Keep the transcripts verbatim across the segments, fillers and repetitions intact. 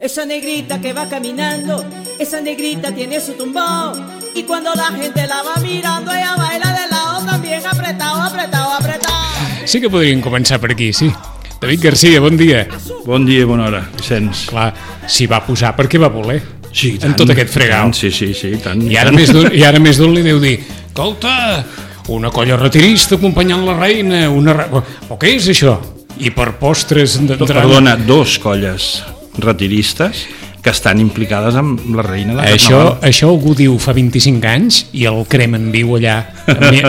Esa negrita que va caminando, esa negrita tiene su tumbón, y cuando la gente la va mirando, ella baila de lado también, apretado, apretado, apretado. Sí que podríem començar per aquí, sí. David Garcia, bon dia. Bon dia, bona hora, Vicenç. Clar, s'hi va posar perquè va voler. Sí, tant, en tot aquest fregau. Tant, sí, sí, sí, tant. I ara, tant. Més d'un, I ara més d'un li deu dir, escolta, una colla retirista acompanyant la reina, una... Re... O què és això? I per postres... Perdona, dos colles retiristes que estan implicades amb la reina de això, Carnaval. Això algú diu fa vint-i-cinc anys i el cremen viu allà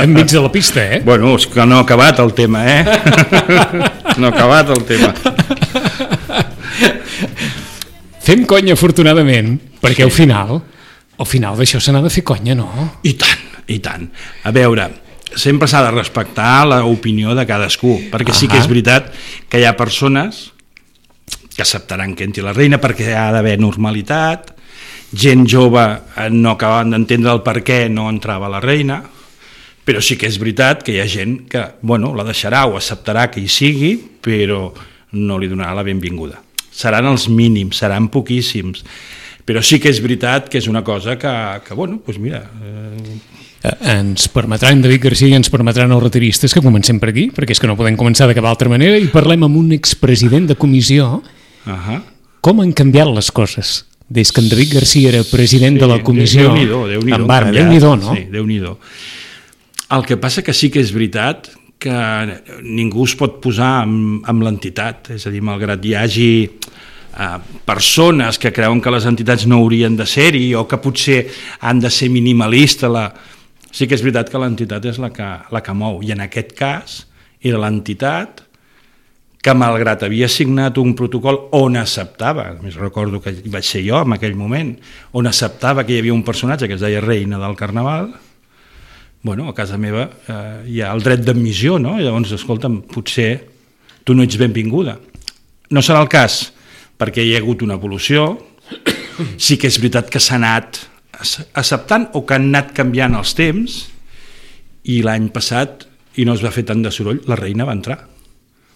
enmig de la pista, eh? Bueno, és que no ha acabat el tema, eh? No ha acabat el tema. Fem conya, afortunadament, perquè sí. al final, al final d'això se n'ha de fer conya, no? I tant, i tant. A veure, sempre s'ha de respectar l'opinió de cadascú, perquè sí que és veritat que hi ha persones que acceptaran que entri la reina perquè ha d'haver normalitat, gent jove no acaben d'entendre el per què no entrava la reina, però sí que és veritat que hi ha gent que, bueno, la deixarà o acceptarà que hi sigui, però no li donarà la benvinguda. Seran els mínims, seran poquíssims, però sí que és veritat que és una cosa que, que bueno, doncs mira... Eh... Ens permetran, David Garcia, i ens permetran els retiristes que comencem per aquí, perquè és que no podem començar de cap altra manera, i parlem amb un expresident de comissió. Uh-huh. Com han canviat les coses des que en David Garcia era president sí, de la comissió? Déu-n'hi-do, Déu-n'hi-do, en Barm, Déu-n'hi-do, no? Sí, Déu-n'hi-do. El que passa que sí que és veritat que ningú es pot posar amb, amb l'entitat, és a dir, malgrat hi hagi eh, persones que creuen que les entitats no haurien de ser-hi o que potser han de ser minimalistes, la... sí que és veritat que l'entitat és la que, la que mou, i en aquest cas era l'entitat que malgrat havia signat un protocol on acceptava, a més recordo que vaig ser jo en aquell moment, on acceptava que hi havia un personatge que es deia reina del Carnaval, bueno, a casa meva eh, hi ha el dret d'admissió, no? I llavors, escolta'm, potser tu no ets benvinguda. No serà el cas, perquè hi ha hagut una evolució, sí que és veritat que s'ha anat acceptant o que han anat canviant els temps, i l'any passat, i no es va fer tant de soroll, la reina va entrar.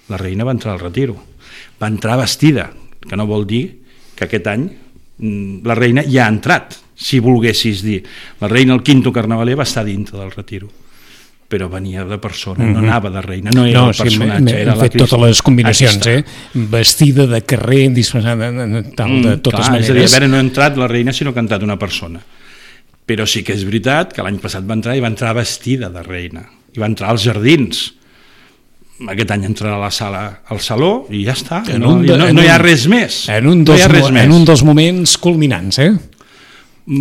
La reina va entrar al retiro, va entrar vestida, que no vol dir que aquest any la reina ja ha entrat, si volguessis dir. La reina, el quinto carnavaler, va estar dintre del retiro, però venia de persona, mm-hmm. no anava de reina, no era no, el personatge, sí, era la Cristina. Totes les combinacions, eh? Vestida de carrer, disfressada, tal, de totes mm, clar, maneres. És a dir, a veure, no ha entrat la reina, sinó que ha entrat una persona. Però sí que és veritat que l'any passat va entrar i va entrar vestida de reina, i va entrar als jardins. Aquest any entrarà a la sala, al saló, i ja està, no, de, no, no hi ha res més. En un dels, no en un dels moments culminants, eh?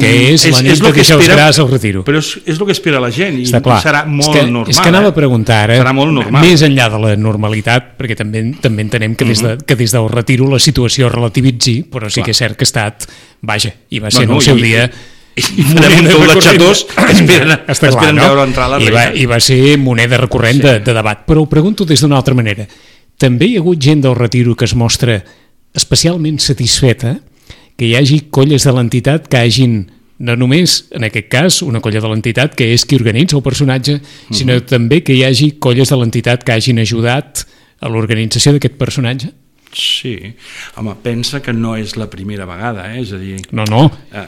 Que és, és la nit que deixeus gràs al retiro. Però és, és el que espera la gent, i serà molt és que, normal. És que anava a preguntar, eh? Serà molt normal. Més enllà de la normalitat, perquè també, també entenem que des, de, que des del retiro la situació relativitzi, però sí Clar. Que és cert que ha estat, vaja, i va ser bueno, en el seu i, dia... i farem un tou de xatós que esperen, esperen clar, no? veure entrar la reina. I va, I va ser moneda recurrent sí. de, de debat. Però ho pregunto des d'una altra manera. També hi ha hagut gent del retiro que es mostra especialment satisfeta que hi hagi colles de l'entitat que hagin, no només, en aquest cas, una colla de l'entitat que és qui organitza el personatge, uh-huh. sinó també que hi hagi colles de l'entitat que hagin ajudat a l'organització d'aquest personatge? Sí, home, pensa que no és la primera vegada, eh? És a dir... No, no, eh,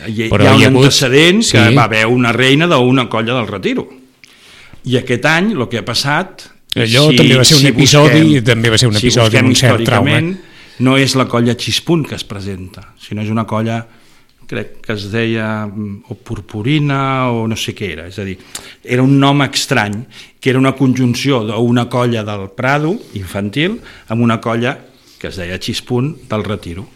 hi, hi ha un hagut... antecedent que sí. va haver una reina d'una colla del retiro. I aquest any, el que ha passat... Allò si, també va ser un si episodi, busquem, també va ser un si episodi amb un cert trauma. No és la colla Xispunt que es presenta, sinó és una colla, crec que es deia o Purpurina o no sé què era, és a dir, era un nom estrany, que era una conjunció d'una colla del Prado, infantil, amb una colla que es deia Xispunt del retiro.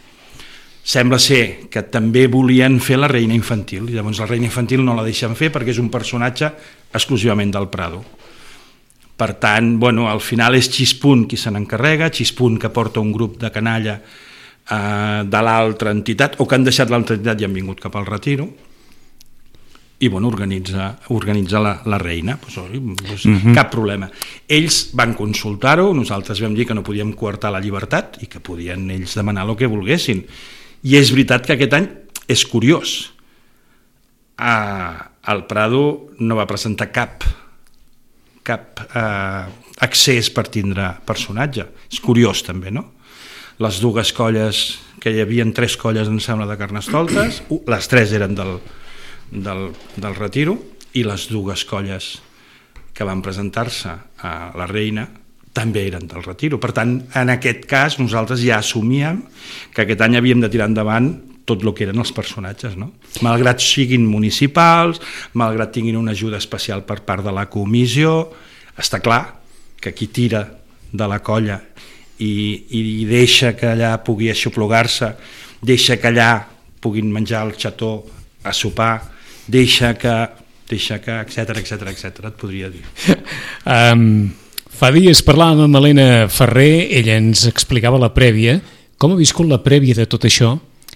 Sembla ser que també volien fer la reina infantil, i llavors la reina infantil no la deixen fer perquè és un personatge exclusivament del Prado. Per tant, bueno, al final és Xispunt qui se n'encarrega, Xispunt que porta un grup de canalla eh, de l'altra entitat, o que han deixat l'altra entitat i han vingut cap al retiro, i bueno, organitza, organitza la, la reina, pues, pues, uh-huh. cap problema. Ells van consultar-ho, nosaltres vam dir que no podíem coartar la llibertat i que podien ells demanar el que volguessin. I és veritat que aquest any és curiós. Ah, el Prado no va presentar cap cap eh, accés per tindre personatge. És curiós també, no? les dues colles, que hi havia tres colles, em sembla, de Carnestoltes, les tres eren del, del, del Retiro, i les dues colles que van presentar-se a la Reina també eren del Retiro. Per tant, en aquest cas, nosaltres ja assumíem que aquest any havíem de tirar endavant tot el que eren els personatges, no? Malgrat siguin municipals, malgrat tinguin una ajuda especial per part de la comissió, està clar que qui tira de la colla i, i deixa que allà pugui aixoplugar-se, deixa que allà puguin menjar el xató a sopar, deixa que deixa que, etcètera, etcètera, etcètera, et podria dir. Um, fa dies parlàvem amb Helena Ferrer, ella ens explicava la prèvia, com ha viscut la prèvia de tot això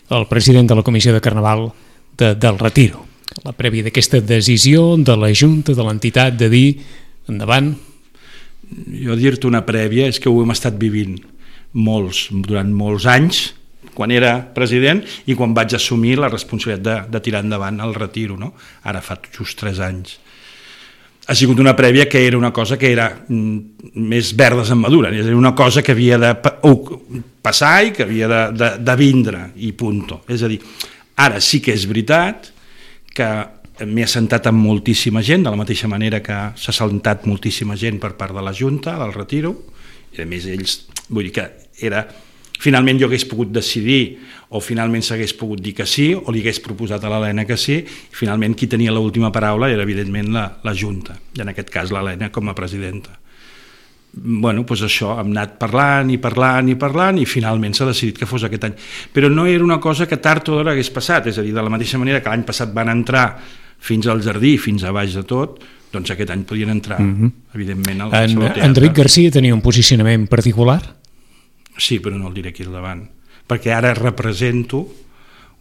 el president de la Comissió de Carnaval de, del Retiro, la prèvia d'aquesta decisió de la Junta, de l'entitat, de dir endavant. Jo dir-te una prèvia és que ho hem estat vivint molts, durant molts anys, quan era president i quan vaig assumir la responsabilitat de, de tirar endavant el Retiro, no? Ara fa just tres anys. Ha sigut una prèvia que era una cosa que era mm, més verdes en madura, és a dir, una cosa que havia de passar i que havia de, de, de vindre, i punto. És a dir, ara sí que és veritat que m'he assentat amb moltíssima gent, de la mateixa manera que s'ha assentat moltíssima gent per part de la Junta, del Retiro, i a més ells, vull dir que era... Finalment jo hagués pogut decidir o finalment s'hagués pogut dir que sí o li hagués proposat a l'Helena que sí i finalment qui tenia l'última paraula era evidentment la, la Junta, i en aquest cas l'Helena com a presidenta. Bueno, doncs això, hem anat parlant i parlant i parlant i finalment s'ha decidit que fos aquest any. Però no era una cosa que tard o d'hora hagués passat, és a dir, de la mateixa manera que l'any passat van entrar fins al jardí, fins a baix de tot, doncs aquest any podien entrar, mm-hmm. evidentment, al en, Saló Teatre. Enric Garcia tenia un posicionament particular? Sí, però no el diré aquí al davant, perquè ara represento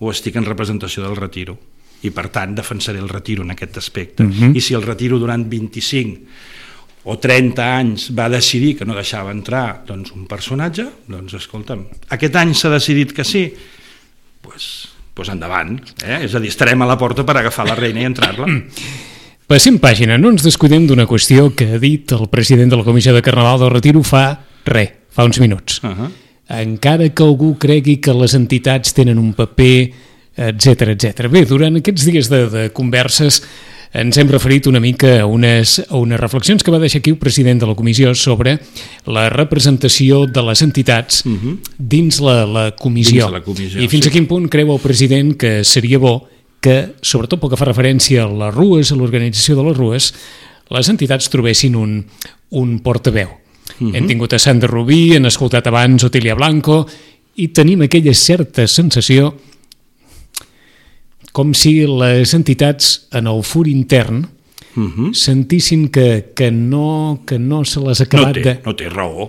o estic en representació del Retiro i per tant defensaré el Retiro en aquest aspecte. Uh-huh. I si el Retiro durant vint-i-cinc o trenta anys va decidir que no deixava entrar doncs, un personatge, doncs escolta'm, aquest any s'ha decidit que sí, doncs, doncs endavant, eh? És a dir, estarem a la porta per agafar la reina i entrar-la. Passem pàgina, no ens descuidem d'una qüestió que ha dit el president de la Comissió de Carnaval del Retiro fa res, fa uns minuts. Uh-huh. Encara que algú cregui que les entitats tenen un paper, etcètera, etcètera. Bé, durant aquests dies de, de converses ens hem referit una mica a unes, a unes reflexions que va deixar aquí el president de la comissió sobre la representació de les entitats uh-huh. dins la, la comissió. Dins la comissió. I fins sí. a quin punt creu el president que seria bo que, sobretot pel que fa referència a les rues, a l'organització de les rues, les entitats trobessin un, un portaveu. Uh-huh. Hem tingut a Sandra Rubí, hem escoltat abans Otília Blanco i tenim aquella certa sensació com si les entitats en el fur intern uh-huh. sentissin que, que, no, que no se les ha acabat no té, de... No té raó,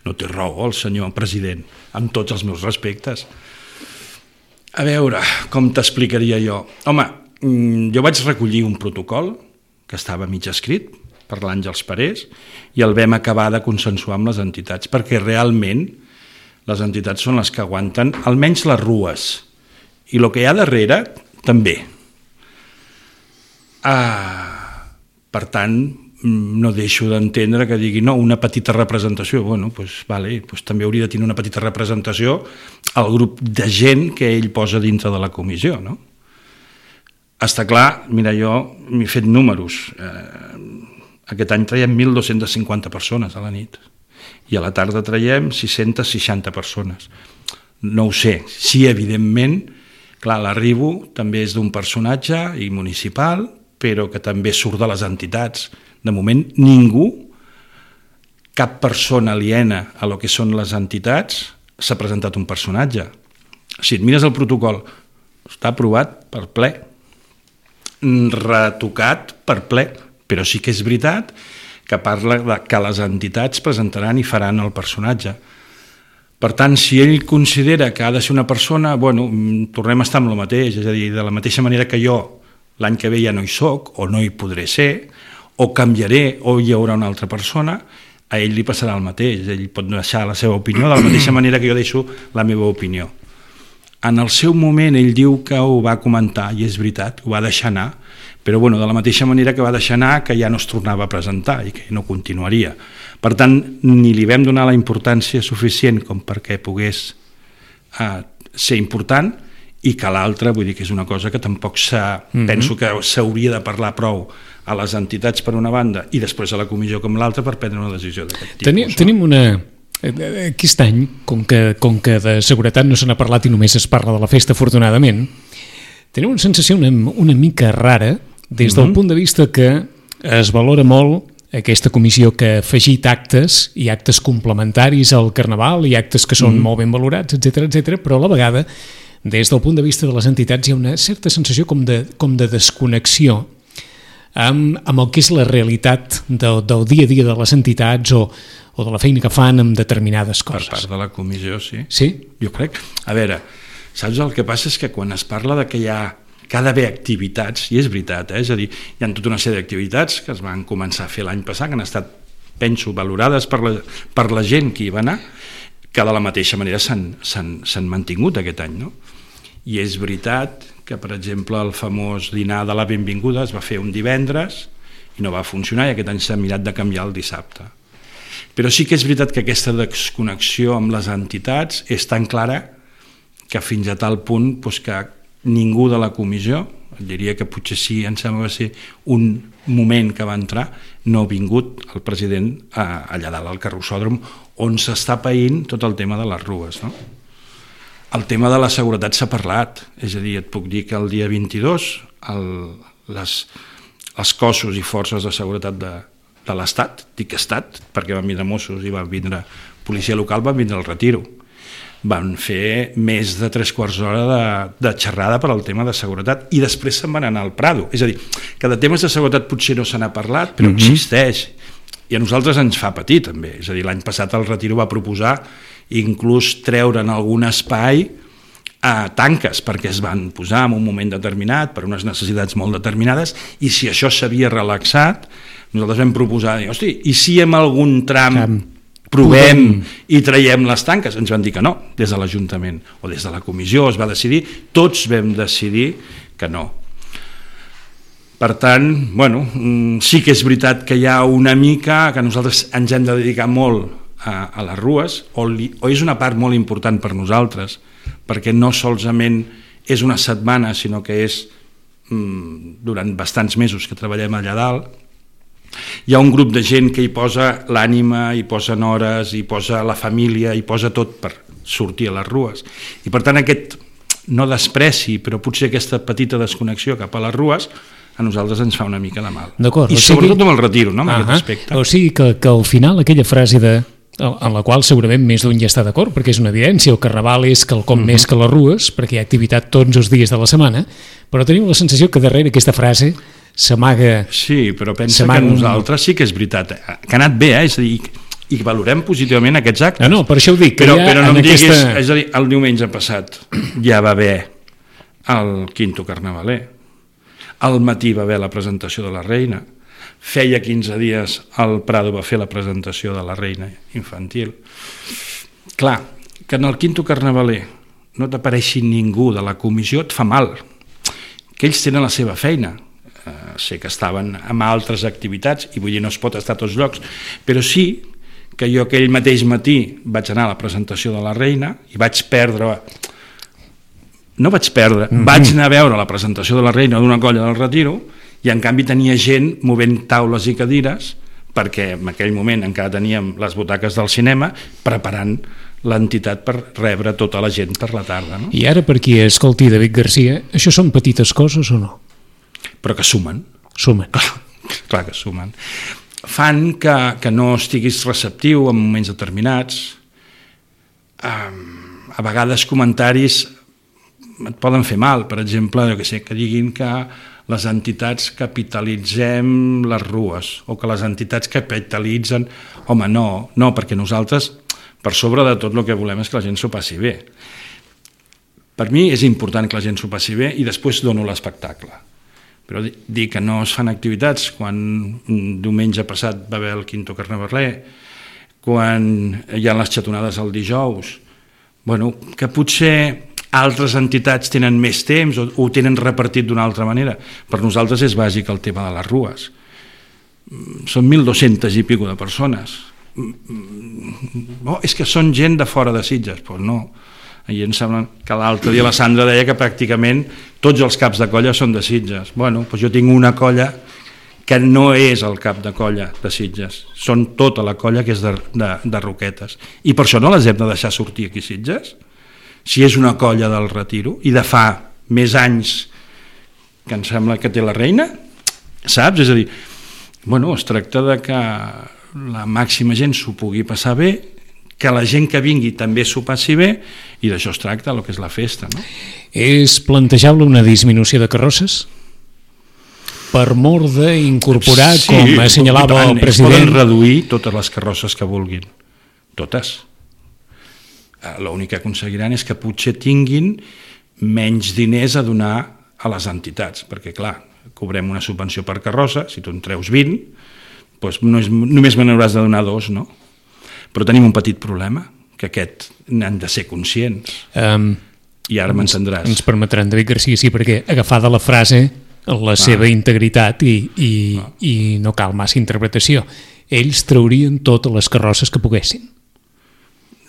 no té raó el senyor president, amb tots els meus respectes. A veure, com t'explicaria jo? Home, jo vaig recollir un protocol que estava mig escrit per l'Àngels Parés i el vam acabar de consensuar amb les entitats perquè realment les entitats són les que aguanten almenys les rues i el que hi ha darrere també. Ah, per tant, no deixo d'entendre que digui no, una petita representació. Bueno, doncs, vale, doncs també hauria de tenir una petita representació al grup de gent que ell posa dintre de la comissió, no? Està clar, mira, jo m'he fet números. Eh, aquest any traiem mil dos-cents cinquanta persones a la nit i a la tarda traiem sis-centes seixanta persones. No ho sé. Sí, evidentment, clar, l'arribo també és d'un personatge i municipal, però que també surt de les entitats. De moment, ningú, cap persona aliena a lo que són les entitats, s'ha presentat un personatge. Si et mires el protocol, està aprovat per ple, retocat per ple, però sí que és veritat que parla de que les entitats presentaran i faran el personatge. Per tant, si ell considera que ha de ser una persona, bueno, tornem a estar amb el mateix, és a dir, de la mateixa manera que jo l'any que ve ja no hi soc, o no hi podré ser, o canviaré, o hi haurà una altra persona, a ell li passarà el mateix, ell pot deixar la seva opinió de la mateixa manera que jo deixo la meva opinió. En el seu moment ell diu que ho va comentar, i és veritat, ho va deixar anar, però bueno, de la mateixa manera que va deixar anar que ja no es tornava a presentar i que no continuaria. Per tant, ni li vam donar la importància suficient com perquè pogués eh, ser important, i que l'altre, vull dir que és una cosa que tampoc s'ha, mm-hmm. penso que s'hauria de parlar prou a les entitats per una banda i després a la comissió com l'altra per prendre una decisió d'aquest tipus. Tenim, no? tenim una... Aquest any, com que, com que de seguretat no se n'ha parlat i només es parla de la festa, afortunadament, tenim una sensació una, una mica rara des del mm-hmm. punt de vista que es valora molt aquesta comissió que ha afegit actes i actes complementaris al Carnaval i actes que són mm-hmm. molt ben valorats, etcètera, etcètera, però a la vegada des del punt de vista de les entitats hi ha una certa sensació com de, com de desconnexió amb, amb el que és la realitat del, del dia a dia de les entitats o, o de la feina que fan amb determinades coses. Per part de la comissió, sí. Sí? Jo crec. A veure, saps el que passa és que quan es parla de que hi ha que ha d'haver activitats, i és veritat, eh? És a dir, hi ha tota una sèrie d'activitats que es van començar a fer l'any passat, que han estat, penso, valorades per la, per la gent que hi va anar, que de la mateixa manera s'han mantingut aquest any, no? I és veritat que, per exemple, el famós dinar de la benvinguda es va fer un divendres i no va funcionar i aquest any s'ha mirat de canviar el dissabte. Però sí que és veritat que aquesta desconnexió amb les entitats és tan clara que fins a tal punt doncs, que ningú de la comissió, diria que potser sí, em sembla que va ser un moment que va entrar, no ha vingut el president allà dalt al carrossòdrom on s'està païnt tot el tema de les rues, no? El tema de la seguretat s'ha parlat, és a dir, et puc dir que el dia vint-i-dos el, les, els cossos i forces de seguretat de, de l'Estat, dic Estat, perquè van vindre Mossos i van vindre policia local, van vindre al retiro. Van fer més de tres quarts d'hora de, de xerrada per al tema de seguretat i després se'n van anar al Prado. És a dir, que de temes de seguretat potser no se n'ha parlat, però mm-hmm. existeix. I a nosaltres ens fa patir també. És a dir, l'any passat el retiro va proposar inclús treure en algun espai a tanques, perquè es van posar en un moment determinat per unes necessitats molt determinades, i si això s'havia relaxat, nosaltres vam proposar, hosti, i si en algun tram Camp. provem i traiem les tanques? Ens van dir que no, des de l'Ajuntament o des de la comissió es va decidir, tots vam decidir que no. Per tant, bueno, sí que és veritat que hi ha una mica que nosaltres ens hem de dedicar molt a, a les rues, o, li, o és una part molt important per nosaltres, perquè no solament és una setmana, sinó que és mm, durant bastants mesos que treballem allà dalt. Hi ha un grup de gent que hi posa l'ànima, hi posen hores, hi posa la família, hi posa tot per sortir a les rues. I per tant aquest, no despreci, però potser aquesta petita desconnexió cap a les rues, a nosaltres ens fa una mica de mal. I sobretot amb el retiro, no? Amb aquest aspecte. O sigui que, que al final aquella frase de en la qual segurament més d'un ja està d'acord, perquè és una evidència, el Carnaval és quelcom mm-hmm. més que les rues, perquè hi ha activitat tots els dies de la setmana, però tenim la sensació que darrere aquesta frase s'amaga... Sí, però pensa que nosaltres sí que és veritat, que ha anat bé, eh? És a dir, i valorem positivament aquests actes. No, no, per això ho dic. Que però, ja però no em aquesta... diguis, és a dir, el diumenge passat ja va haver el quinto carnavaler, al matí va haver la presentació de la Reina, feia quinze dies el Prado va fer la presentació de la Reina infantil. Clar, que en el quinto carnavaler no t'apareixi ningú de la comissió et fa mal, que ells tenen la seva feina. Eh, sé que estaven amb altres activitats i vull dir no es pot estar a tots llocs, però sí que jo aquell mateix matí vaig anar a la presentació de la Reina i vaig perdre no vaig perdre, mm-hmm. vaig anar a veure la presentació de la Reina d'una colla del Retiro i en canvi tenia gent movent taules i cadires perquè en aquell moment encara teníem les butaques del cinema preparant l'entitat per rebre tota la gent per la tarda. No? I ara per qui escolti David Garcia, això són petites coses o no? Però que sumen. Sumen. Clar, clar que sumen. Fan que, que no estiguis receptiu en moments determinats. Um, a vegades comentaris et poden fer mal, per exemple, jo que sé, que diguin que les entitats capitalitzem les rues o que les entitats capitalitzen... Home, no, no, perquè nosaltres, per sobre de tot el que volem és que la gent s'ho passi bé. Per mi és important que la gent s'ho passi bé i després dono l'espectacle. Però dir que no es fan activitats quan un diumenge passat va haver el quinto carnavaler, quan hi ha les xatonades el dijous, bueno, que potser altres entitats tenen més temps o ho tenen repartit d'una altra manera. Per nosaltres és bàsic el tema de les rues. Són mil dos-centes i pico de persones. Oh, és que són gent de fora de Sitges. Pues no. I em sembla que l'altre dia la Sandra deia que pràcticament tots els caps de colla són de Sitges. Bueno, doncs jo tinc una colla que no és el cap de colla de Sitges, són tota la colla que és de, de, de Roquetes. I per això no les hem de deixar sortir aquí a Sitges? Si és una colla del Retiro i de fa més anys que em sembla que té la reina, saps? És a dir, bueno, es tracta de que la màxima gent s'ho pugui passar bé, que la gent que vingui també s'ho passi bé, i d'això es tracta, el que és la festa, no? És plantejable una disminució de carrosses? Per mor d'incorporar, sí, com assenyalava el president... Poden reduir totes les carrosses que vulguin, totes. L'únic que aconseguiran és que potser tinguin menys diners a donar a les entitats, perquè clar, cobrem una subvenció per carrossa, si tu en treus vint, doncs no és, només me n'hauràs de donar dos, no? Però tenim un petit problema, que aquest n'han de ser conscients. Um, I ara m'entendràs. Ens permetran, David Garcia, sí, perquè agafada la frase, la ah. seva integritat i, i, ah. i no cal massa interpretació. Ells traurien totes les carrosses que poguessin.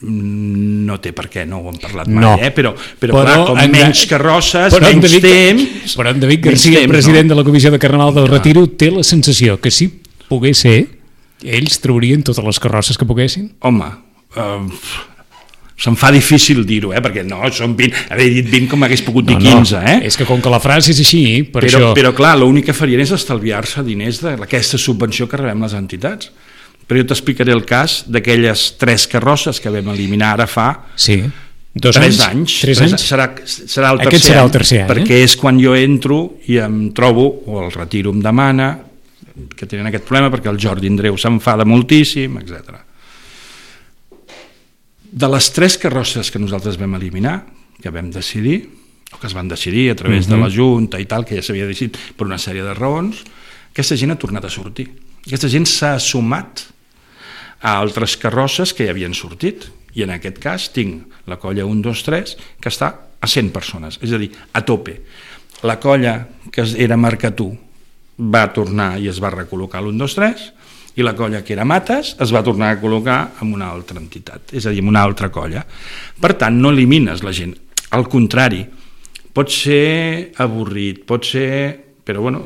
No té per què, no ho hem parlat mai, no. eh? però, però, però clar, com en, menys carrosses, menys David, temps... Però en David Garcia, temps, president no? de la Comissió de Carnaval del ah. Retiro, té la sensació que si pogués ser, ells traurien totes les carrosses que poguessin? Home, uh, se'm fa difícil dir-ho, eh? Perquè no, són vint, haver dit vint com hagués pogut dir no, quinze. Eh? No, és que com que la frase és així, per però, això... Però clar, l'únic que farien és estalviar-se diners d'aquesta subvenció que rebem les entitats. Però jo t'explicaré el cas d'aquelles tres carrosses que vam eliminar ara fa sí. Dos tres anys. anys. Tres anys? Serà, serà el tercer, Aquest serà el tercer any, perquè eh? és quan jo entro i em trobo, o el Retiro em demana, que tenen aquest problema perquè el Jordi Andreu s'enfada moltíssim, etcètera. De les tres carrosses que nosaltres vam eliminar, que vam decidir, o que es van decidir a través uh-huh. de la Junta i tal, que ja s'havia decidit per una sèrie de raons, aquesta gent ha tornat a sortir. Aquesta gent s'ha sumat a altres carrosses que ja havien sortit, i en aquest cas tinc la colla un, dos, tres, que està a cent persones, és a dir, a tope. La colla que era Marcatú va tornar i es va recol·locar l'un, dos, tres, i la colla que era Mates es va tornar a col·locar en una altra entitat, és a dir, en una altra colla. Per tant, no elimines la gent, al contrari, pot ser avorrit, pot ser... Però bueno,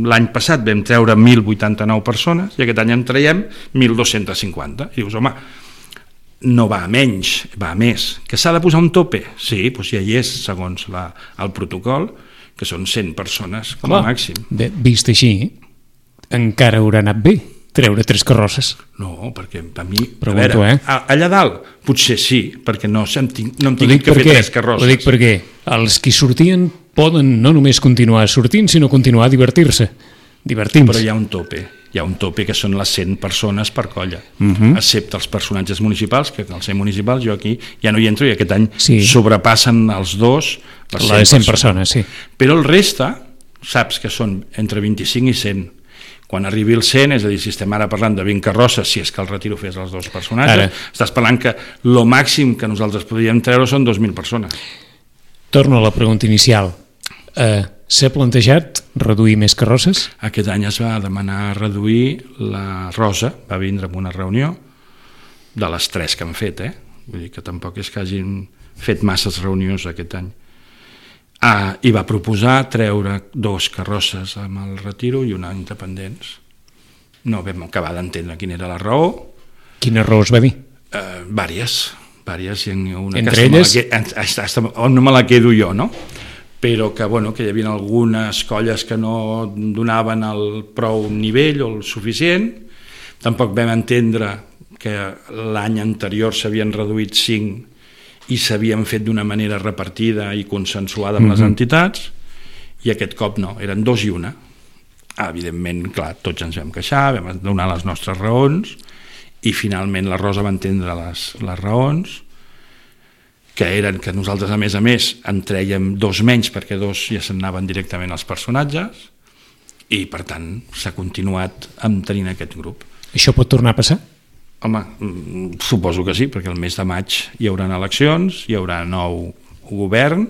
l'any passat vam treure mil vuitanta-nou persones i aquest any en traiem mil dos-cents cinquanta. I dius, home, no va a menys, va a més. Que s'ha de posar un tope? Sí, doncs ja hi és, segons la, el protocol, que són cent persones com a màxim. Bé, vist així, encara haurà anat bé treure tres carrosses. No, perquè a mi... Pregunto, a veure, eh? allà dalt potser sí, perquè no, no hem tingut que fer tres carrosses. Ho dic perquè els que sortien poden no només continuar sortint, sinó continuar a divertir-se, divertint-se. Però hi ha un tope, hi ha un tope que són les cent persones per colla, uh-huh. excepte els personatges municipals, que als cent municipals jo aquí ja no hi entro i aquest any sí. sobrepassen els dos les cent, les cent persones. persones sí. Però el reste, saps que són entre vint-i-cinc i cent. Quan arribi el cent, és a dir, si estem ara parlant de vint carrosses, si és que el Retiro fes els dos personatges, ara. Estàs parlant que el màxim que nosaltres podríem treure són dos mil persones. Torno a la pregunta inicial. Uh, S'ha plantejat reduir més carrosses? Aquest any es va demanar reduir la Rosa, va vindre en una reunió de les tres que han fet, eh? Vull dir que tampoc és que hagin fet masses reunions aquest any. Ah, i va proposar treure dos carrosses amb el Retiro i una independents. No vam acabar d'entendre quina era la raó. Quina raó es va dir? Uh, vàries, vàries. I una entre elles? Me no me la quedo jo, no? Però que, bueno, que hi havia algunes colles que no donaven el prou nivell o el suficient. Tampoc vam entendre que l'any anterior s'havien reduït cinc i s'havien fet d'una manera repartida i consensuada amb mm-hmm. les entitats, i aquest cop no, eren dos i una. Ah, evidentment, clar, tots ens vam queixar, vam donar les nostres raons, i finalment la Rosa va entendre les, les raons, que eren que nosaltres, a més a més, en trèiem dos menys, perquè dos ja se'n anaven directament als personatges, i per tant s'ha continuat amb tenint aquest grup. Això pot tornar a passar? Home, suposo que sí, perquè el mes de maig hi haurà eleccions, hi haurà nou govern,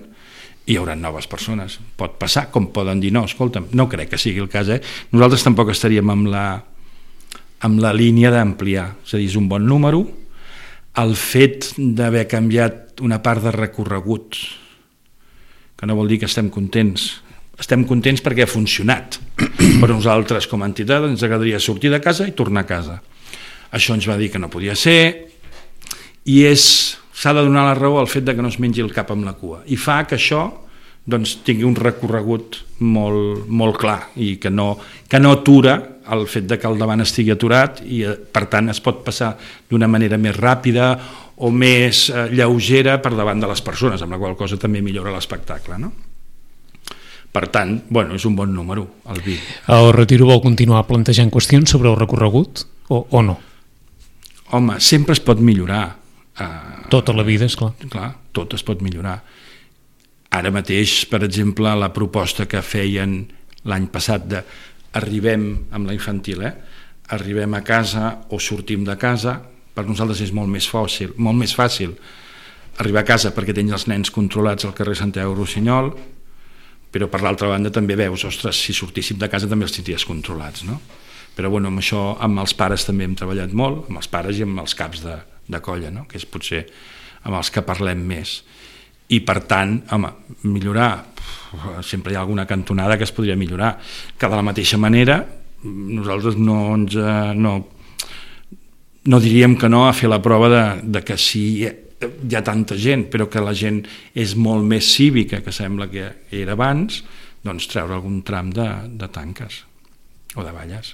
hi haurà noves persones. Pot passar, com poden dir no, escolta'm, no crec que sigui el cas, eh? Nosaltres tampoc estaríem amb la, amb la línia d'ampliar, és a dir, és un bon número. el fet d'haver canviat una part de recorregut, que no vol dir que estem contents. Estem contents perquè ha funcionat. Per nosaltres, com a entitat, ens agradaria sortir de casa i tornar a casa. Això ens va dir que no podia ser, i és, s'ha de donar la raó al fet de que no es mengi el cap amb la cua. I fa que això doncs, tingui un recorregut molt, molt clar i que no, que no atura el fet de que el davant estigui aturat i, per tant, es pot passar d'una manera més ràpida o més eh, lleugera per davant de les persones, amb la qual cosa també millora l'espectacle, no? Per tant, bueno, és un bon número, el vint. El Retiro vol continuar plantejant qüestions sobre el recorregut o, o no? Home, sempre es pot millorar. Uh, tota la vida, esclar. Clar, tot es pot millorar. Ara mateix, per exemple, la proposta que feien l'any passat de arribem amb la infantil, eh? arribem a casa o sortim de casa, per nosaltres és molt més fàcil, molt més fàcil arribar a casa perquè tens els nens controlats al carrer Santiago Rossinyol, però per l'altra banda també veus, ostres, si sortíssim de casa també els tindries controlats, no? Però bueno, amb això, amb els pares també hem treballat molt, amb els pares i amb els caps de, de colla, no? Que és potser amb els que parlem més. I per tant, home, millorar, sempre hi ha alguna cantonada que es podria millorar, que de la mateixa manera nosaltres no ens no, no diríem que no a fer la prova de, de que sí hi ha tanta gent, però que la gent és molt més cívica que sembla que era abans, doncs treure algun tram de, de tanques o de valles.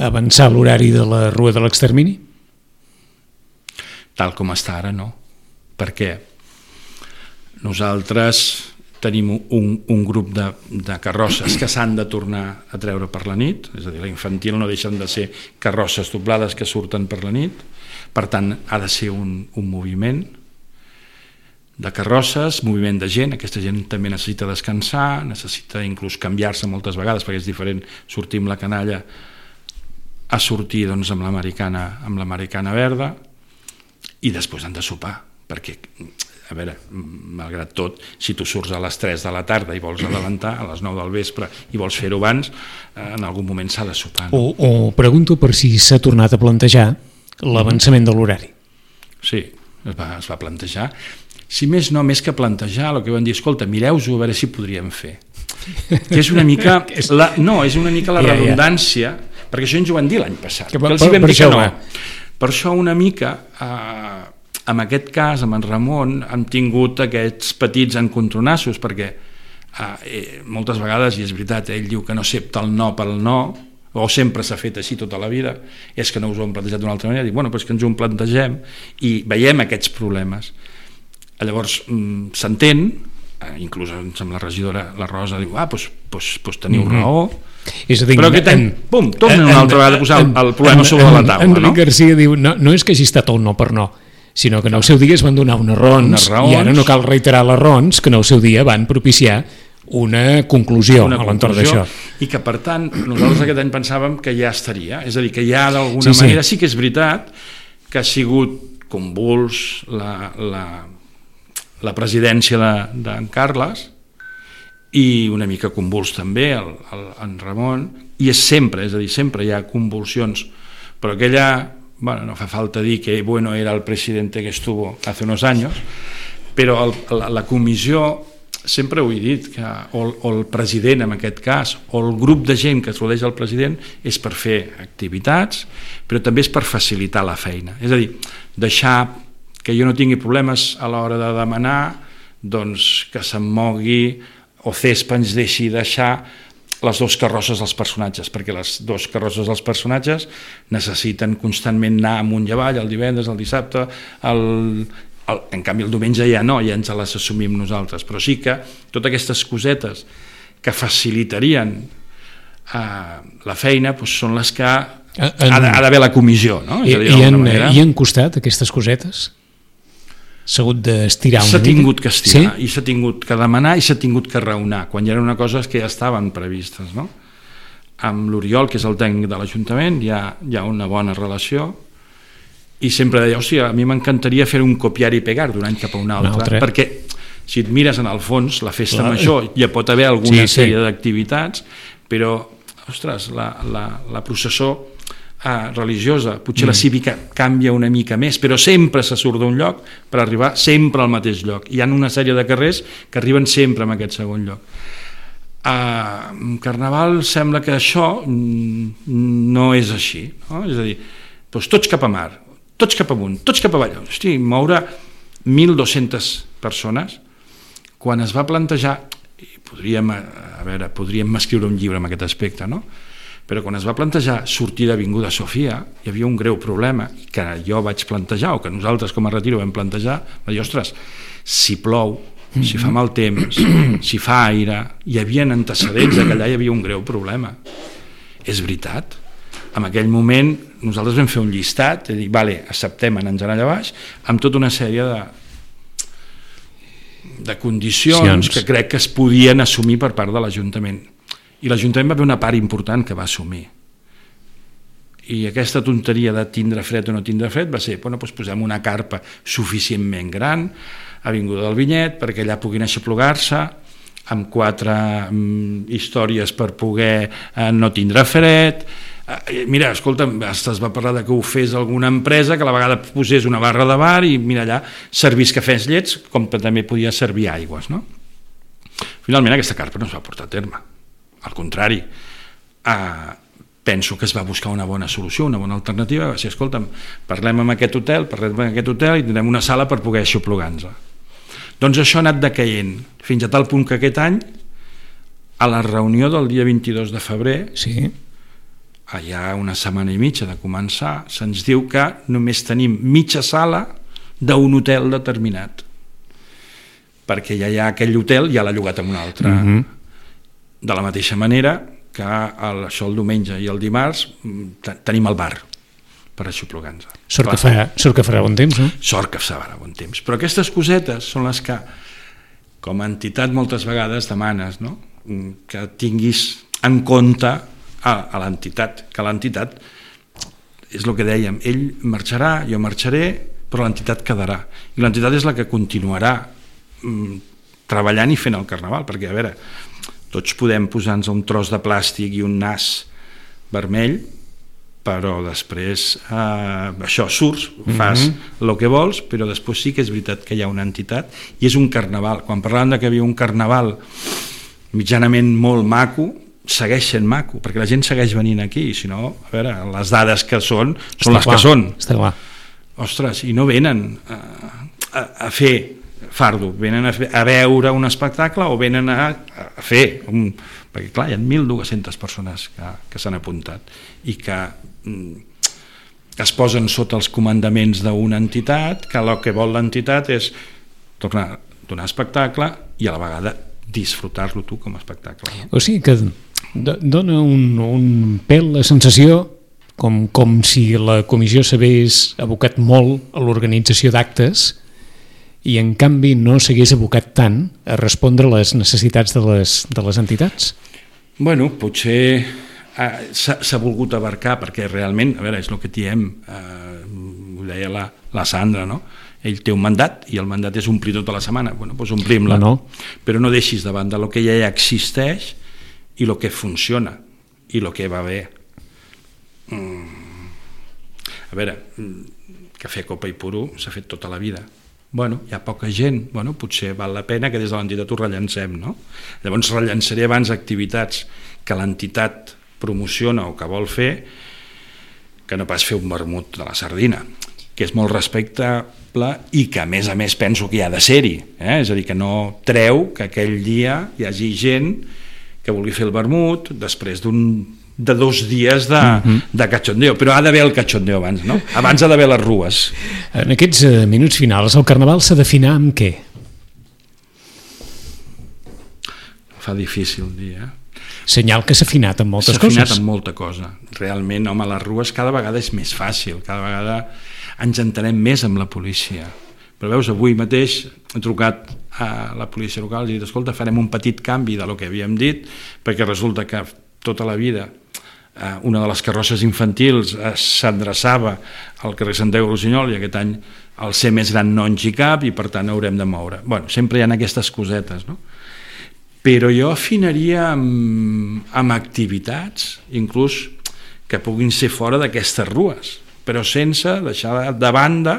Avançar l'horari de la Rua de l'Extermini? Tal com està ara, no. Perquè nosaltres tenim un, un grup de, de carrosses que s'han de tornar a treure per la nit, és a dir, la infantil no deixen de ser carrosses doblades que surten per la nit, per tant ha de ser un, un moviment de carrosses, moviment de gent, aquesta gent també necessita descansar, necessita inclús canviar-se moltes vegades perquè és diferent sortir amb la canalla a sortir doncs, amb l'americana amb l'americana verda, i després han de sopar, perquè a veure, malgrat tot, si tu surts a les tres de la tarda i vols adelantar, a les nou del vespre i vols fer-ho abans, en algun moment s'ha de sopar. No? O, o pregunto per si s'ha tornat a plantejar l'avançament de l'horari. Sí, es va, es va plantejar. Si més no, més que plantejar, el que van dir, escolta, mireu-ho a veure si podríem fer. Que és una mica... La, no, és una mica la ja, redundància, ja. Perquè això ens ho van dir l'any passat, que, que els hi vam dir que no. Per això una mica... Eh, en aquest cas, amb en Ramon, hem tingut aquests petits encontronassos, perquè eh, moltes vegades, i és veritat, ell diu que no accepta el no pel no, o sempre s'ha fet així tota la vida, és que no us ho hem plantejat d'una altra manera, dic, bueno, però és que ens ho plantegem i veiem aquests problemes. Llavors, mm, s'entén, eh, inclús amb la regidora, la Rosa, diu, ah, doncs, doncs, doncs teniu mm-hmm. raó, és a dir, però aquest any, pum, tornen una altra vegada a posar el, el problema en, sobre en, la taula. Enric no? Garcia diu, no, no és que hagi estat el no per no, sinó que en el seu dia es van donar unes raons, unes raons, i ara no cal reiterar les raons que en el seu dia van propiciar una conclusió una a l'entorn d'això. I que, per tant, nosaltres aquest any pensàvem que ja estaria, és a dir, que ja d'alguna sí, manera sí. sí que és veritat que ha sigut convuls la, la, la presidència d'en de, Carles i una mica convuls també el, el, en Ramon, i és sempre, és a dir, sempre hi ha convulsions, però aquella... Bueno, no fa falta dir que bueno era el presidente que estuvo hace unos años, però el, la, la comissió, sempre ho he dit, que, o, o el president en aquest cas, o el grup de gent que es rodeix al president, és per fer activitats, però també és per facilitar la feina. És a dir, deixar que jo no tingui problemes a l'hora de demanar, doncs que se'm mogui, o Cespa ens deixi deixar les dues carrosses dels personatges, perquè les dues carrosses dels personatges necessiten constantment anar amunt i avall, el divendres, el dissabte, el, el, en canvi el diumenge ja no, ja ens les assumim nosaltres, però sí que totes aquestes cosetes que facilitarien eh, la feina doncs són les que en, ha d'haver la comissió, no? I, dir, i, han, I han costat aquestes cosetes? S'ha hagut d'estirar una mica? S'ha tingut que estirar, sí? I s'ha tingut que demanar i s'ha tingut que raonar, quan hi era una cosa que ja estaven previstes, no? Amb l'Oriol, que és el tècnic de l'Ajuntament, hi ha, hi ha una bona relació, i sempre deia, o sigui, a mi m'encantaria fer un copiar i pegar d'un any cap a un altre, un altre. Perquè si et mires en el fons, la festa Clar. major, ja pot haver alguna sí, sèrie sí. d'activitats, però, ostres, la, la, la processó uh, religiosa, potser mm. la cívica canvia una mica més, però sempre se surt d'un lloc per arribar sempre al mateix lloc. Hi ha una sèrie de carrers que arriben sempre en aquest segon lloc. Uh, Carnaval sembla que això no és així, no? És a dir, doncs tots cap a mar, tots cap amunt, tots cap avall. Hosti, moure mil dues-centes persones, quan es va plantejar, i podríem, a veure, podríem escriure un llibre en aquest aspecte, no? Però quan es va plantejar sortir d'Avinguda Sofia, hi havia un greu problema que jo vaig plantejar, o que nosaltres com a Retiro vam plantejar, va dir, ostres, si plou, si fa mal temps, si fa aire, hi havia antecedents que allà hi havia un greu problema. És veritat. En aquell moment nosaltres vam fer un llistat, de dir, vale, acceptem anar allà baix, amb tota una sèrie de, de condicions que crec que es podien assumir per part de l'Ajuntament. I l'Ajuntament va haver una part important que va assumir. I aquesta tonteria de tindre fred o no tindre fred va ser, bueno, doncs posem una carpa suficientment gran a Avinguda del Vinyet perquè allà puguin aixoplugar-se amb quatre mm, històries per poder eh, no tindre fred. Eh, mira, escolta, es va parlar de que ho fes alguna empresa que a la vegada posés una barra de bar i mira allà, servís cafès llets com que també podia servir aigües, no? Finalment aquesta carpa no es va portar a terme. Al contrari, eh, penso que es va buscar una bona solució, una bona alternativa. Va ser, escolta'm, parlem amb aquest hotel, parlem amb aquest hotel i tindrem una sala per poder aixoplugar-nos. Doncs això ha anat decaent, fins a tal punt que aquest any, a la reunió del dia vint-i-dos de febrer, sí. allà una setmana i mitja de començar, se'ns diu que només tenim mitja sala d'un hotel determinat, perquè ja hi ha aquell hotel, ja l'ha llogat amb un altre. Mm-hmm. De la mateixa manera que el, això el diumenge i el dimarts tenim el bar per aixoplugar-nos. Sort, sort que farà bon temps, no? Sort que farà bon temps. Però aquestes cosetes són les que, com a entitat, moltes vegades demanes, no? Que tinguis en compte a, a l'entitat, que l'entitat, és el que dèiem, ell marxarà, jo marxaré, però l'entitat quedarà. I l'entitat és la que continuarà mm, treballant i fent el Carnaval, perquè, a veure, tots podem posar-nos un tros de plàstic i un nas vermell, però després eh, això surts, fas mm-hmm. el que vols, però després sí que és veritat que hi ha una entitat i és un carnaval. Quan parlàvem de que hi havia un carnaval mitjanament molt maco, segueix sent maco, perquè la gent segueix venint aquí, i si no, a veure, les dades que són són les que són. Està clar. Ostres, i no venen a, a, a fer fardo, venen a, fer, a veure un espectacle o venen a, a fer un, perquè clar, hi ha mil dues-centes persones que, que s'han apuntat i que que es posen sota els comandaments d'una entitat, que el que vol l'entitat és tornar a donar espectacle i a la vegada disfrutar-lo tu com a espectacle. No? O sigui que dona un, un pèl la sensació com, com si la comissió s'hagués abocat molt a l'organització d'actes i en canvi no s'hagués abocat tant a respondre a les necessitats de les, de les entitats? Bueno, potser s'ha volgut abarcar perquè realment, a veure, és el que diem, eh, ho deia la, la Sandra, no? Ell té un mandat i el mandat és omplir tota la setmana, bueno, doncs omplim-la, no, no. Però no deixis de banda el que ja existeix i el que funciona i el que va bé. Mm. A veure, cafè, copa i puro s'ha fet tota la vida. Bueno, hi ha poca gent, bueno, potser val la pena que des de l'entitat ho rellancem, no? Llavors rellançaré abans activitats que l'entitat promociona o que vol fer, que no pas fer un vermut de la sardina, que és molt respectable i que a més a més penso que hi ha de ser-hi, eh? És a dir, que no treu que aquell dia hi hagi gent que vulgui fer el vermut després d'un de dos dies de, mm-hmm. de cachondeo, però ha d'haver el cachondeo abans, no? Abans ha d'haver les rues. En aquests minuts finals, el Carnaval s'ha d'afinar amb què? Fa difícil dir, eh? Senyal que s'ha afinat amb moltes coses. S'ha afinat amb molta cosa. Realment, home, les rues cada vegada és més fàcil, cada vegada ens entenem més amb la policia. Però veus, avui mateix he trucat a la policia local i he dit, escolta, farem un petit canvi de lo que havíem dit, perquè resulta que tota la vida una de les carrosses infantils s'adreçava al carrer Santiago Rossinyol i aquest any el ser més gran no ens hi cap i per tant haurem de moure. Bueno, sempre hi ha aquestes cosetes, no? Però jo afinaria amb, amb activitats, inclús que puguin ser fora d'aquestes rues, però sense deixar de banda.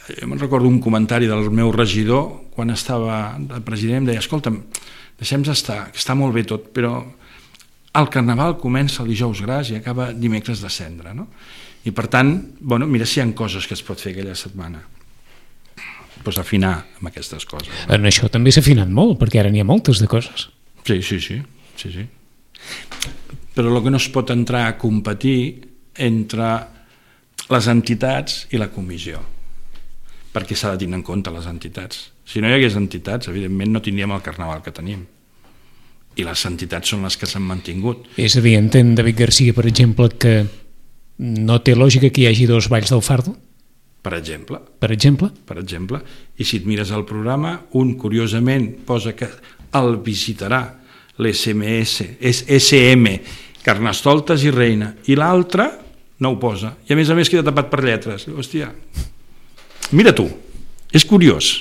Jo me'n recordo un comentari del meu regidor quan estava de president, em deia, escolta'm, deixem-nos estar, que està molt bé tot, però el carnaval comença el dijous gras i acaba dimecres de cendra, no? I per tant, bueno, mira si hi ha coses que es pot fer aquella setmana. Pues afinar amb aquestes coses. No? En això també s'ha afinat molt, perquè ara n'hi ha moltes de coses. Sí, sí, sí, sí, sí. Però el que no es pot entrar a competir entre les entitats i la comissió, perquè s'ha de tenir en compte les entitats. Si no hi hagués entitats, evidentment no tindríem el carnaval que tenim. I les entitats són les que s'han mantingut. És a dir, entén David Garcia, per exemple, que no té lògica que hi hagi dos balls del Fardo? Per exemple. Per exemple? Per exemple. I si et mires el programa, un curiosament posa que el visitarà l'S M S, S M, Carnestoltes i Reina, i l'altre no ho posa. I a més a més queda tapat per lletres. Hòstia, mira tu, és curiós.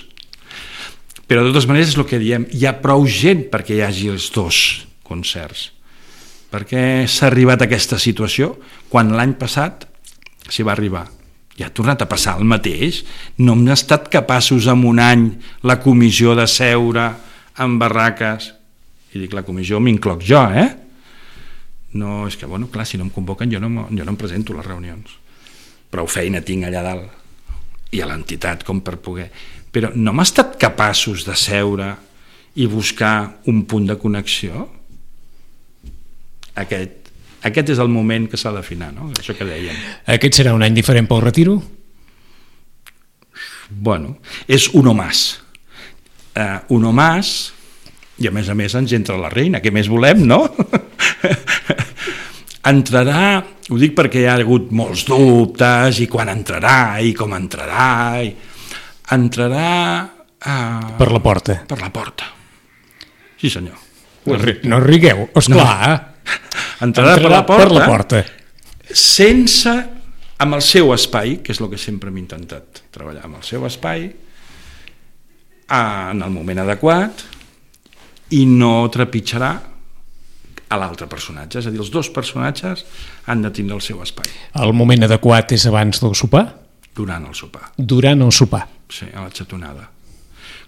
Però de totes maneres és el que diem, hi ha prou gent perquè hi hagi els dos concerts. Perquè s'ha arribat a aquesta situació quan l'any passat s'hi va arribar. I ha tornat a passar el mateix. No hem estat capaços en un any la comissió de seure en barraques. I dic la comissió m'incloc jo, eh? No, és que, bueno, clar, si no em convoquen jo no, jo no em presento a les reunions. Prou feina tinc allà dalt. I a l'entitat com per poder... Però no hem estat capaços de seure i buscar un punt de connexió? Aquest, aquest és el moment que s'ha d'afinar, no? Això que dèiem. Aquest serà un any diferent pel retiro? Bueno, és uno más. Uh, uno más, i a més a més ens entra la reina, què més volem, no? Entrarà, ho dic perquè hi ha hagut molts dubtes, i quan entrarà, i com entrarà, i... entrarà... Uh, per la porta. Per la porta. Sí, senyor. No, no rigueu, esclar. No. Entrarà, entrarà per la porta, per la porta sense, amb el seu espai, que és el que sempre hem intentat treballar, amb el seu espai, en el moment adequat, i no trepitjarà a l'altre personatge. És a dir, els dos personatges han de tindre el seu espai. El moment adequat és abans del sopar? Durant el sopar. Durant el sopar. Sí, a la xatonada.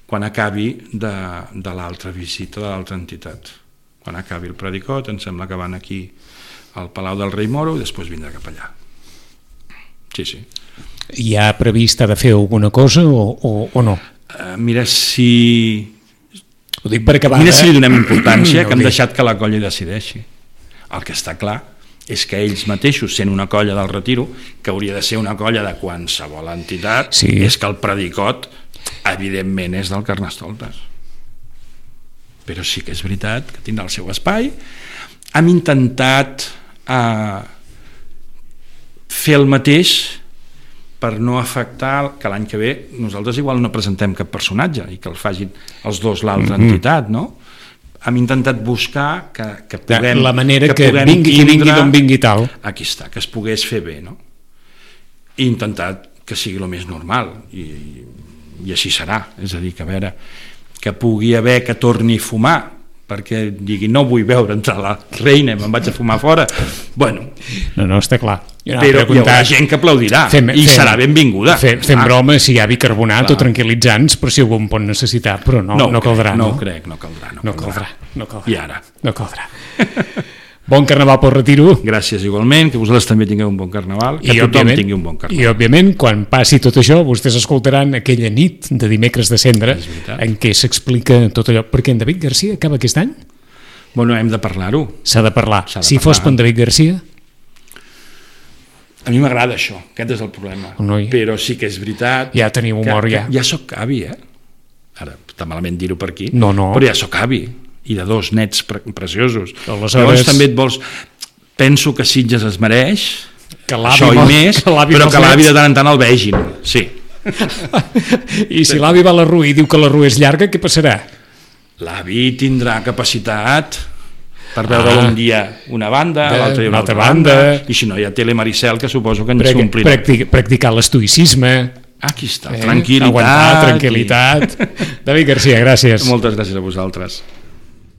Quan acabi de, de l'altra visita de l'altra entitat. Quan acabi el predicot, em sembla que van aquí al Palau del Rei Moro i després vindrà cap allà. Sí, sí. Hi ha previst ha de fer alguna cosa o, o, o no? Uh, mira si... Ho dic per acabar. Mira si li donem importància, no, que hem deixat que la colla decideixi. El que està clar és que ells mateixos, sent una colla del retiro, que hauria de ser una colla de qualsevol entitat, sí. És que el predicot, evidentment, és del Carnestoltes. Però sí que és veritat que tindrà el seu espai. Hem intentat eh, fer el mateix per no afectar que l'any que ve nosaltres igual no presentem cap personatge i que el facin els dos l'altra mm-hmm. entitat, no? Hem intentat buscar que, que puguem... La manera que, que, que vingui, que vingui d'on vingui tal. Aquí està, que es pogués fer bé, no? I intentat que sigui el més normal i, i així serà. És a dir, que a veure, que pugui haver que torni a fumar perquè digui no vull veure entrar la reina i me'n vaig a fumar fora. Bueno, no, no, està clar. Però hi haurà gent que aplaudirà fem, i fem, serà benvinguda. Fem, fem ah. broma si hi ha bicarbonat clar. O tranquil·litzants, però si algú en pot necessitar, però no, no, no caldrà. No, no ho crec, no caldrà. No, no caldrà. caldrà. No caldrà. I ara? No caldrà. Bon carnaval pel retiro. Gràcies igualment, que vosaltres també tingueu un bon carnaval, que I tothom tingui un bon carnaval. I òbviament, quan passi tot això, vostès escoltaran aquella nit de dimecres de cendra en què s'explica tot allò. Perquè en David Garcia acaba aquest any? Bueno, hem de parlar-ho. S'ha de parlar. De si parlar. Fos per en David Garcia? A mi m'agrada això, aquest és el problema. Noi. Però sí que és veritat... Ja teniu humor, que, ja. Que ja soc avi, eh? Ara, està malament dir-ho per aquí. No, no. Però ja soc avi. I de dos nets pre preciosos. Aleshores... Llavors també et vols... Penso que Sitges es mereix que això i més, que però que l'avi de tant en tant el vegin. Sí. I si l'avi va a la rua i diu que la rua és llarga, què passarà? L'avi tindrà capacitat per veure ah, un dia una banda, l'altre dia una altra banda, banda, i si no hi ha Tele Maricel, que suposo que ens s'omplirà. Practic, practicar l'estoïcisme. Aquí està, eh? Tranquil·litat. Aguantar, tranquil·litat. I... David Garcia, gràcies. Moltes gràcies a vosaltres.